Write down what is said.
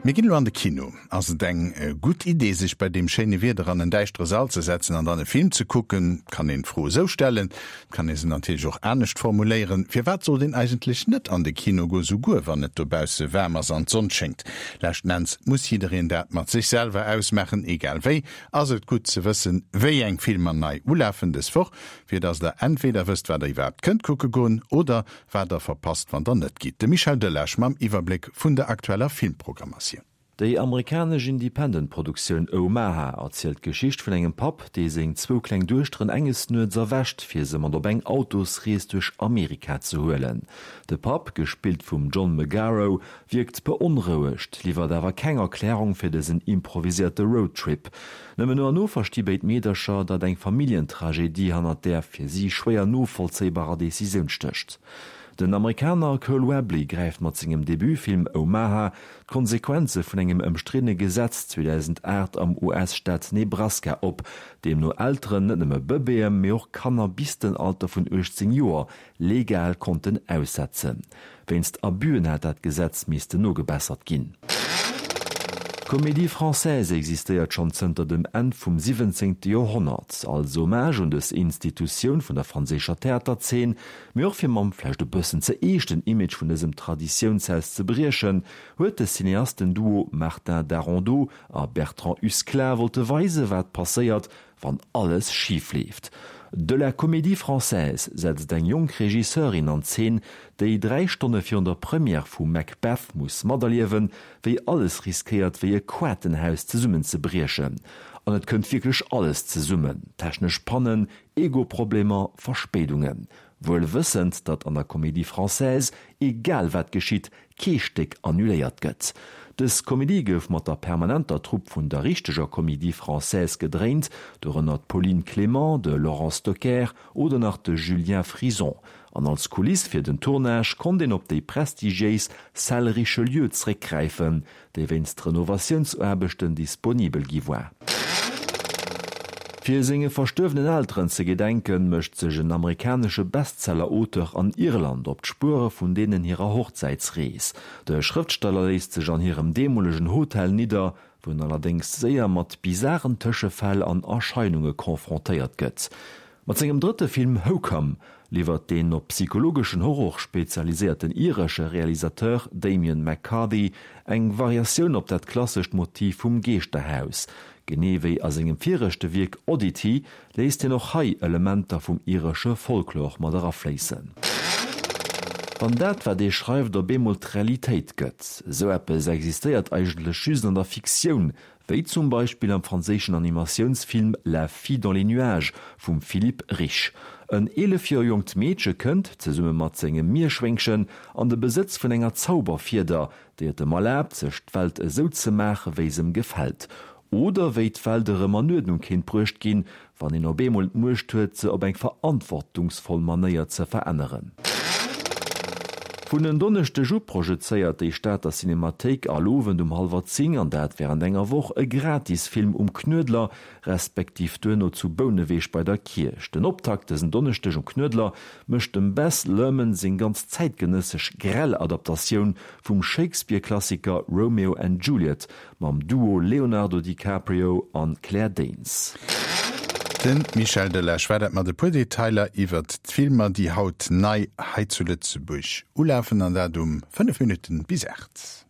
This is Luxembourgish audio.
Mir ginn elo an de Kino. Ass et eng gutt Idee, sech bei deem schéine Wieder an en däischtere Sall ze setzen an dann e Film ze kucken? Et kann een d'Fro esou stellen, et kann ee se natierlech och anescht formuléieren, Firwat sollt een eigentlech net an de Kino goen, souguer wann et dobausse waarm ass an d'Sonn schéngt? Leschten Enns muss jiddereen dat mat sech selwer ausmaachen. Egal wéi, ass et gutt ze wëssen, wéi eng Filmer nei ulafen dës Woch, fir dass der entweder wësst, wat der iwwerhaapt kënnt kucke goen oder wat der verpasst, wann der net gitt. De Michel Delage mam Iwwerbléck vun der aktueller Filmprogrammatioun. Déi amerikanesch Independent-Produktioun Omaha erzielt d'Geschicht vun engem Papp, dee seng zwou kleng Duechteren enges Nuets erwächt, fir se mat op eng Autosrees duerch Amerika ze huelen. De Papp, gespillt vum John Magaro, wierkt beonrouegt, liwwert awer keng Erklärung fir dësen improviséierte Roadtrip. Nëmmen no an no versti béid Meedercher, datt eng Familljentragedie hannert där fir si schwéier novollzéibarer Decisioun stécht. Den Amerikaner Cole Webley gräift mat sengem Debutfilm Omaha d'Konsequenze vun engem ëmstriddene Gesetz 2008 am US-Staat Nebraska op, deemno Elteren net nëmme Bëbeeë mee och Kanner bis den Alter vun 18 Joer legal konnten aussetzen. Wéinst Abüen hat dat Gesetz missten nogebessert ginn. D'Comédie Française existéiert schonn zënter dem Enn vum 17. Joerhonnert. Als Hommage un dës Institutioun vun der franséischer Theaterzeen, mee och fir mam vläicht e bëssen ze eeschten Image vun dësem Traditiounshaus ze briechen, huet de Cineasten-Duo Martin Darondeau a Bertrand Usclat wollte weise wat passéiert, Wann alles schif leeft. De la Comédie Française setzt eng jonk Regisseurin an Zeen, déi 3 Stonne virun der Première vu Macbeth muss materliewen, wéi alles riskéiert wéi e Koartenhaus zesummenzebriechen. An et kënnt wierklech alles zesummen, technesch Pannen, Ego-Problemer, Verspéidungen. Wuel wëssend, datt an der Comédie Française, egal wat geschitt, kee Stéck annuléiert gëtt. Dës Komedie gouf mat der permanenter Trupp vun der richteger Comédie Française gedréint, dorënner d'Pauline Clément, de Laurent Stocker oder nach de Julien Frison. An als Kuliss fir den Tournage konnt een op déi prestigiéis Salle Richelieu zréckgräifen, déi wéinst Renovatiounsaarbechten disponibel gi war. Fir senge verstuerwenen Elteren ze gedenken, mécht sech en amerikanesche Bestseller-Auteur an Irland op d'Spuere vun deenen hirer Hochzäitsrees. De Schrëftsteller léisst sech an hirem deemolegen Hotel nidder, wou en allerdéngs séier mat bizaren Tëschefäll an Erscheinunge confrontéiert gëtt. Mat sengem drëtte Film Hokum liwwert deen op psychologeschen Horror spezialiséierten iresche Realisateur Damian McCarthy eng Variatioun op dat klassescht Motiv vum Geeschterhaus. Genee wéi a sengem viregte Wierk Oddity léisst hien och hei Elementer vum iresche Folklor mat erafléissen. Wann dat, wat ee schreift, op eemol d'Realitéit gëtt. Esou eppes existéiert eigentlech just an der Fiktioun, Wéi zum Beispill am franséischen Animatiounsfilm La fille dans les nuages vum Philippe Rich. En 11 Joer jonkt Meedche kënnt, zesumme mat sengem Mierschwéngchen, an de Besëtz vun enger Zauberfieder, déi et em erlaabt, sech d'Welt esou ze maache wéi s'em gefält. Oder wéi d'Welt erëm an Uerdnung kéint bruecht ginn, Wann een op eemol d'Muecht huet, se op eng verantwortungsvoll Manéier ze veränneren. Vun en Donneschdeg u projezéiert déi Stater Cinemathéik all Owend um hallwer 10, an dat wärend enger Woch, e Gratisfilm um Knuedler, respektiv duerno zu Bouneweg bei der Kierch. Den Optakt dësen Donneschdeg um Knuedler mécht dem Baz Luhrmann seng ganz zäitgenëssesch grell Adaptatioun vum Shakespeare-Klassiker Romeo and Juliet Mam Duo Leonardo DiCaprio an Claire Danes. De Michel Delage war dat mat e puer Detailer iwwert d'Filmer, déi haut nei hei zu Lëtzebuerg ulafen, an dat um 5 Minutten bis 8.